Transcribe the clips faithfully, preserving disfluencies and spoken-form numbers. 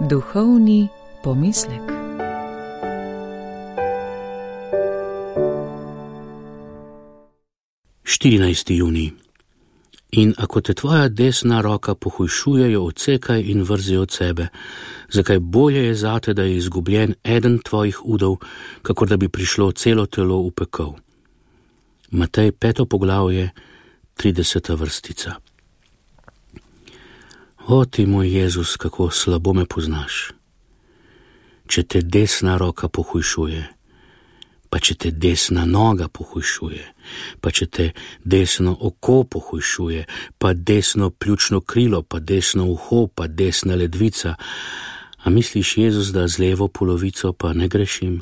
Duhovni pomislek. štirinajsti junij. In ako te tvoja desna roka pohujšuje, jo odsekaj in vrzi od sebe, zakaj bolje je zate, da je izgubljen eden tvojih udov, kakor da bi prišlo celo telo v pekel. Matej peto poglavje, trideseta vrstica. O ti moj Jezus, kako slabo me poznaš. Če te desna roka pohujšuje, pa če te desna noga pohujšuje, pa če te desno oko pohujšuje, pa desno pljučno krilo, pa desno uho, pa desna ledvica, a misliš, Jezus, da z levo polovico pa ne grešim?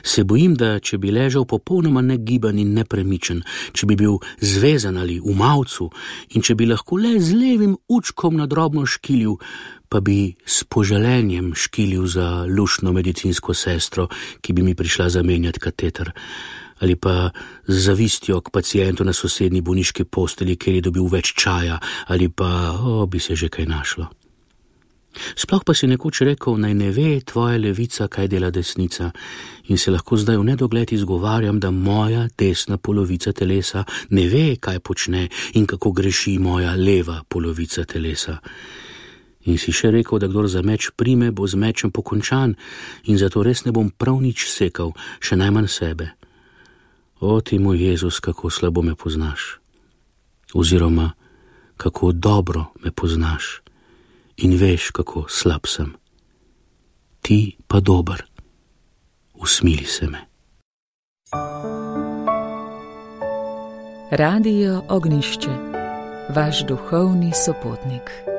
Se bojim, da če bi ležal popolnoma negiban in nepremičen, če bi bil zvezan ali v mavcu in če bi lahko le z levim učkom na drobno škilil, pa bi s poželenjem škilil za luštno medicinsko sestro, ki bi mi prišla zamenjati kateter, ali pa z zavistjo k pacientu na sosednji bolniški postelji, ker je dobil več čaja, ali pa, o, bi se že kaj našlo. Sploh pa si nekoč rekel, naj ne ve tvoja levica, kaj dela desnica, in se lahko zdaj v nedogled izgovarjam, da moja desna polovica telesa ne ve, kaj počne in kako greši moja leva polovica telesa. In si še rekel, da kdor za meč prime, bo z mečem pokončan, in zato res ne bom prav nič sekal, še najmanj sebe. O ti moj Jezus, kako slabo me poznaš, oziroma kako dobro me poznaš in veš, kako slab sem. Ti pa dober, usmili se me. Radio Ognjišče, vaš duhovni sopotnik.